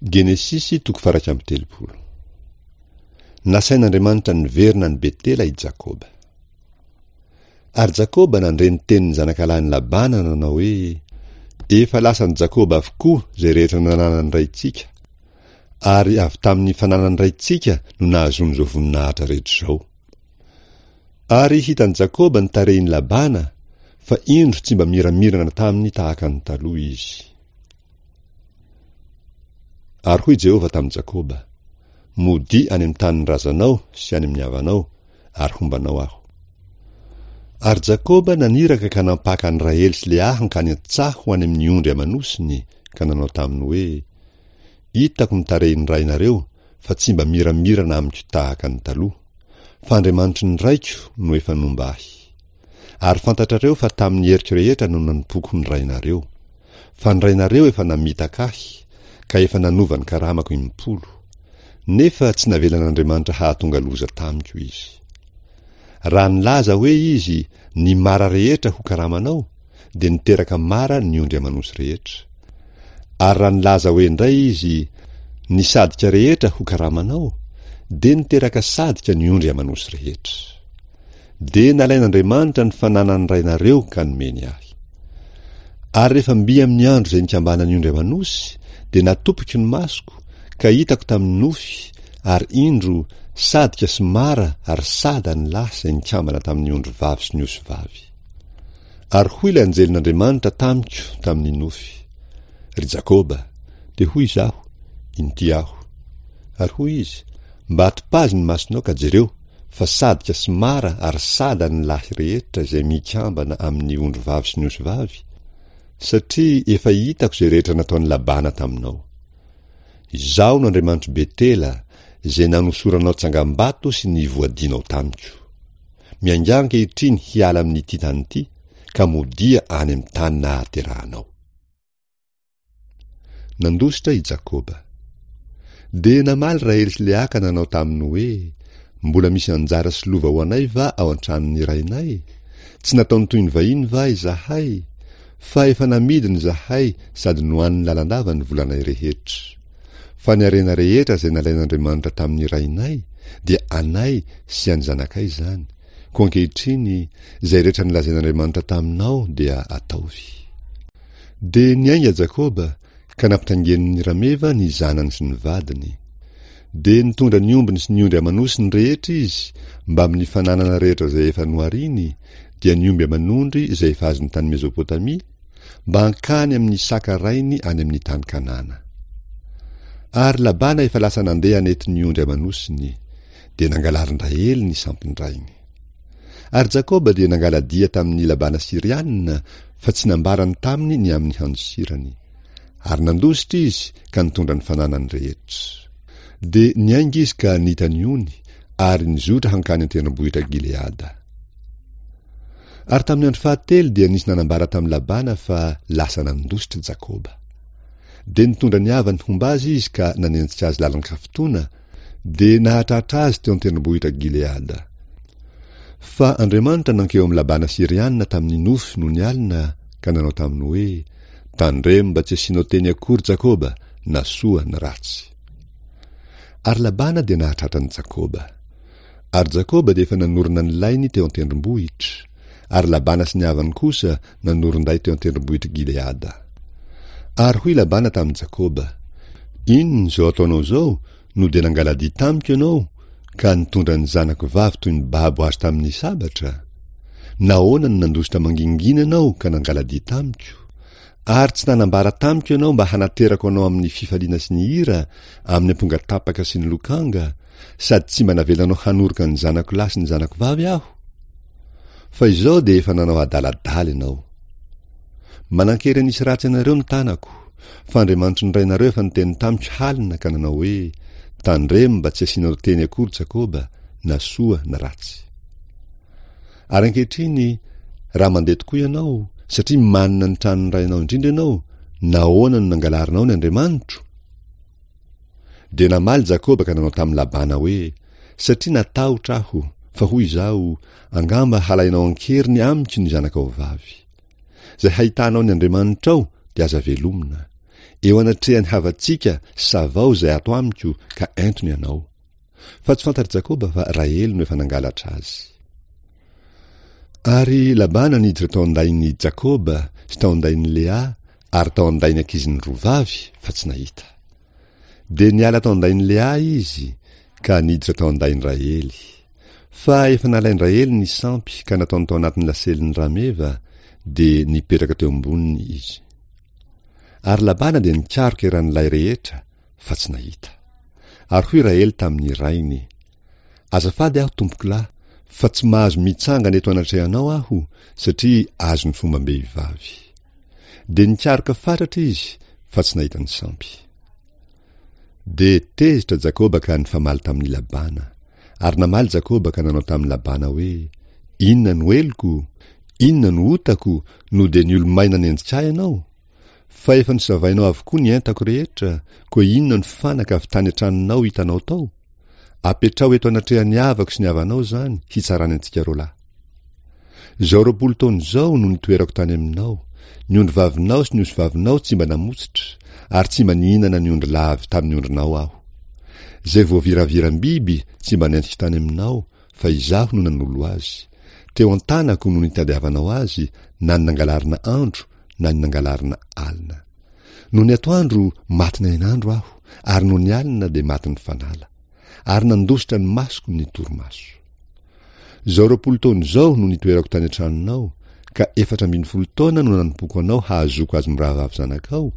Genesisy toko faha-31. Nasain'Andriamanitra niverina any Betela i Jakoba. Ary Jakoba nandre ny tenin'ny zanakalahin'i Labana nanao hoe, Efa lasan'i Jakoba avokoa izay rehetra nananan'ny raintsika, ary avy tamin'ny fananan'ny raintsika no nahazoany izao voninahitra rehetra izao. Ary hitan'i Jakoba ny tarehin'i Labana, fa indro tsy mba miramirana taminy tahaka ny taloha izy. Ary hoy Jehovah tamin'i Jakoba, Modia any amin'ny tanin'ny razanao sy any amin'ny havanao, ary homba anao aho. Ary Jakoba naniraka ka nampaka an'i Rahely sy Lea hankany an-tsaha ho any amin'ny ondry aman'osiny, ka nanao taminy hoe, Hitako ny tarehin'ny rainareo, fa tsy mba miramirana amiko tahaka ny taloha, fa Andriamanitry ny raiko no efa nomba ahy. Ary fantatrareo fa tamin'ny heriko rehetra no nanompoako ny rainareo. Fa ny rainareo efa namitaka ahy, ka efa nanova ny karamako impolo. Nefa tsy navelan'Andriamanitra hahatonga loza tamiko izy. Raha nilaza hoe izy, Ny mara rehetra ho karamanao, dia niteraka mara ny ondry aman'osy rehetra. Ary raha nilaza hoe indray izy, Ny sadika rehetra ho karamanao, dia niteraka sadika ny ondry aman'osy rehetra. Dia nalain'Andriamanitra ny fananan'ny rainareo ka nomeny ahy. Ary rehefa mby amin'ny andro izay nikambanan'ny ondry aman'osy, dia natopiko ny masoko, ka hitako tamin'ny nofy, ary indro, sadika sy mara ary sada ny lahy izay nikambana tamin'ny ondry vavy sy ny osy vavy. Ary hoy ilay anjelin'Andriamanitra tamiko tamin'ny nofy, Ry Jakoba! Dia hoy izaho, Inty aho. Ary hoy izy, Mba atopazy ny masonao ka jereo, fa sadika sy mara ary sada ny lahy rehetra izay mikambana amin'ny ondry vavy sy ny osy vavy, satria efa hitako izay rehetra nataon'i Labana taminao. Izaho no Andriamanitr'i Betela, izay nanosoranao tsangambato sy nivoadianao tamiko. Miaingà ankehitriny hiala amin'ity tany ity, ka modia any amin'ny tany nahaterahanao. Nandositra i Jakoba. Dia namaly Rahely sy Lea ka nanao taminy hoe, Mbola misy anjara sy lova ho anay va ao an-tranon'ny rainay? Tsy nataony toy ny vahiny va izahay? Fa efa namidiny izahay sady nohaniny lalandava ny volanay rehetra. Fa ny harena rehetra izay nalain'Andriamanitra tamin'ny rainay dia anay sy an'ny zanakay izany, Koa ankehitriny, izay rehetra nolazain'Andriamanitra taminao dia ataovy. Dia niainga Jakoba, ka nampitaingeniny rameva ny zanany sy ny vadiny. Dia nitondra ny ombiny sy ny ondry aman'osiny rehetra izy, mbamin'ny fananana rehetra izay efa nohariny, dia ny omby aman'ondry izay efa azony tany Mezopotamia, mba hankany amin'i Isaka rainy any amin'ny tany Kanana. Ary Labana efa lasa nandeha hanety ny ondry aman'osiny. dia nangalarin-dRahely ny sampin-drainy. Ary Jakoba dia nangala-dia tamin'i Labana Syriana, fa tsy nambarany taminy ny amin'ny handosirany. Ary nandositra izy ka nitondra ny fananany rehetra. Dia niainga izy ka nita ny ony, ary nizotra hankany an-tendrombohitra Gileada. Ary tamin'ny andro fahatelo dia nisy nanambara tamin'i Labana fa lasa nandositra Jakoba. Dia nitondra ny havany homba azy izy ka nanenjika azy lalan-kafotoana, Dia nahatratra azy teo an-tendrombohitra Gileada. Fa Andriamanitra nankeo amin'i Labana Syriana tamin'ny nofy nony alina ka nanao taminy hoe, Tandremo mba tsy hasianao teny akory Jakoba, na soa na ratsy. Ary Labana dia nahatratra an'i Jakoba. Ary Jakoba dia efa nanorina ny lainy teo an-tendrombohitra, ary Labana sy ny havany kosa nanorin-day teo an-tendrombohitr'i Gileada. Ary hoy Labana tamin'i Jakoba, Inona izao ataonao izao no dia nangala-dia tamiko ianao ka nitondra ny zanako vavy toy ny babo azo tamin'ny sabatra? Nahoana no nandositra mangingina ianao ka nangala-dia tamiko? Ary tsy nanambara tamiko ianao mba hanaterako anao amin'ny fifaliana sy ny hira, amin'ny ampongatapaka sy ny lokanga, sady tsy mba navelanao hanoroka ny zanako lahy sy ny zanako vavy aho? Fa izao dia efa nanao adaladala ianao. Manan-kery hanisy ratsy anareo ny tanako, fa Andriamanitry ny rainareo efa niteny tamiko halina ka nanao hoe, Tandremo mba tsy hasianao teny akory Jakoba, na soa na ratsy. Ary ankehitriny, raha mandeha tokoa ianao, satria manina ny tranon'ny rainao indrindra ianao, nahoana no nangalarinao ny Andriamanitro? Dia namaly Jakoba ka nanao tamin'i Labana hoe, Satria natahotra aho, fa hoy izaho, Angamba halainao an-keriny amiko ny zanakao vavy. Izay hahitanao ny Andriamanitrao dia aza velomina. Eo anatrehan'ny havantsika savao izay ato amiko ka ento ny anao. Fa tsy fantatr'i Jakoba fa Rahely no efa nangalatra azy. Ary Labana niditra tao an-dain'i Jakoba sy tao an-dain'i Lea ary tao an-dain'ny ankiziny roa vavy fa tsy nahita. Dia niala tao an-dain'i Lea izy ka niditra tao an-dain'i Rahely. Fa efa nalain-dRahely ny sampy ka nataony tao anatin'ny laselin'ny rameva, dia nipetraka teo amboniny izy. Ary Labana dia nikaroka eran'ny lay rehetra, fa tsy nahita. Ary hoy Rahely tamin'ny rainy, Azafady aho, tompokolahy, fa tsy mahazo mitsangana eto anatrehanao aho, satria azon'ny fombam-behivavy. Dia nikaroka fatratra izy, fa tsy nahita ny sampy. Dia tezitra Jakoba ka nifamaly tamin'i Labana. Ary namaly Jakoba ka nanao tamin'i Labana hoe, Inona no heloko? Inona no otako, no dia niolomay nanenjika ahy ianao? Fa efa nosavainao avokoa ny entako rehetra, koa inona no fanaka avy tany an-tranonao hitanao tao? Apetraho eto anatrehan'ny havako sy ny havanao izany, hitsarany antsika roalahy. Izao 20 taona izao no nitoerako tany aminao, ny ondrivavinao sy ny osivavinao tsy mba namotsitra, ary tsy mba nihinana ny ondrilahy avy tamin'ny ondrinao aho. Izay voaviraviram-biby tsy mba nentiko tany aminao, fa izaho no nanolo azy. Teo an-tanako no nitadiavanao azy, na ny nangalarina andro, na ny nangalarina alina. Nony atoandro, matin'ny hainandro aho, ary nony alina dia matin'ny fanala. Ary nandositra ny masoko ny torimaso. Izao 20 taona izao no nitoerako tany an-tranonao, ka 14 taona no nanompoako anao hahazoako azy mirahavavy zanakao,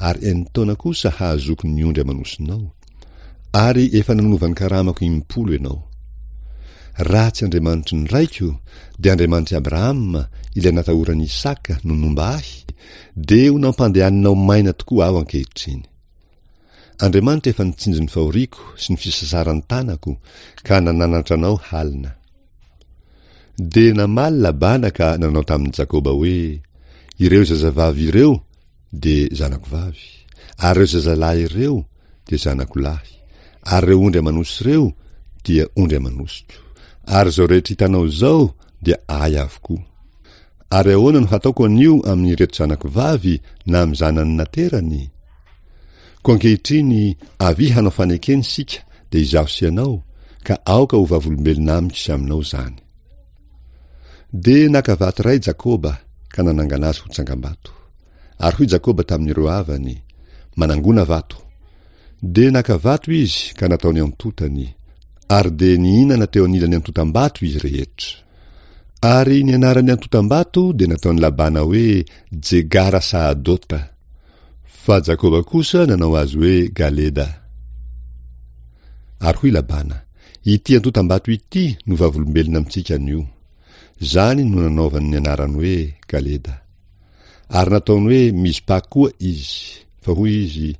ary enin-taona kosa hahazoako ny ondry aman'osinao. Ary efa nanova ny karamako impolo ianao. Raha tsy Andriamanitry ny raiko, dia Andriamanitr'i Abrahama, ilay natahoran'i Isaka, no nomba ahy, dia ho nampandehaninao maina tokoa aho ankehitriny. Andriamanitra efa nitsinjo ny fahoriako sy ny fisasaran-tanako ka nananatra anao halina. Dia namaly Labana ka nanao tamin'i Jakoba hoe, Ireo zazavavy ireo dia zanako vavy, ary ireo zazalahy ireo dia zanako lahy, ary ireo ondry aman'osy ireo dia ondry aman'osiko. Ary izao rehetra hitanao izao dia ahy avokoa. Ary ahoana no hataoko anio amin'ireto zanako vavy na amin'ny zanany naterany? Koa ankehitriny, avia hanao fanekena isika, dia izaho sy ianao, ka aoka ho vavolombelona amiko sy aminao izany. Dia naka vato iray Jakoba ka nanangana azy ho tsangambato. Ary hoy Jakoba tamin'ireo havany, Manangona vato. Dia naka vato izy ka nataony antontany, ary dia nihinana teo anilan'ny antontam-bato izy rehetra. Ary ny anaran'ny antontam-bato dia nataon'i Labana hoe Jegara-sahadota. Fa Jakoba kosa nanao azy hoe Galeda. Ary hoy Labana, Ity antontam-bato ity no vavolombelona amintsika anio. Izany no nanaovany ny anarany hoe Galeda. Ary nataony hoe Mizpa koa izy, fa hoy izy,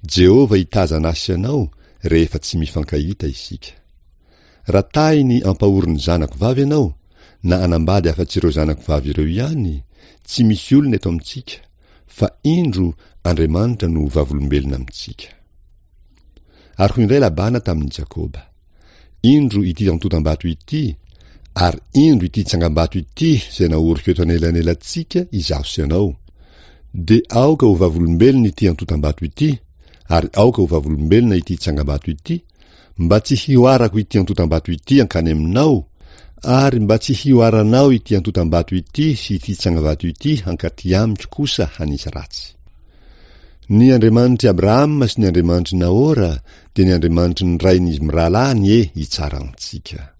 Jehovah hitazana ahy sy anao rehefa tsy mifankahita isika. Raha tahiny ampahorin'ny zanako vavy ianao, na anambady afa-tsy ireo zanako vavy ireo ihany, tsy misy olona eto amintsika, fa indro Andriamanitra no vavolombelona amintsika. Ary hoy indray Labana tamin'i Jakoba, Indro ity antontam-bato ity, ary indro ity tsangambato ity izay naoriko eto anelanelantsika izaho sy ianao. Dia aoka ho vavolombelona ity antontam-bato ity, ary aoka ho vavolombelona ity tsangambato ity, mba tsy hihoarako ity antontam-bato ity hankany aminao, ary mba tsy hihoaranao ity antontam-bato ity sy ity tsangambato ity hankaty amiko kosa hanisy ratsy. Ny Andriamanitr'i Abrahama sy ny Andriamanitr'i Nahora dia ny Andriamanitry ny rain'izy mirahalahy anie hitsara antsika.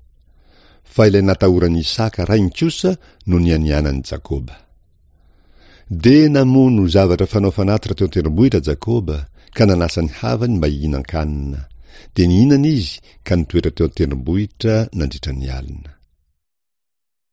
Fa ilay natahoran'i Isaka rainy kosa no nianianan'i Jakoba. Dia namono zavatra fanao fanatitra teo an-tendrombohitra Jakoba ka nanasa ny havany mba hihinan-kanina. Dia nihinana izy ka nitoetra teo an-tendrombohitra nandritra ny alina.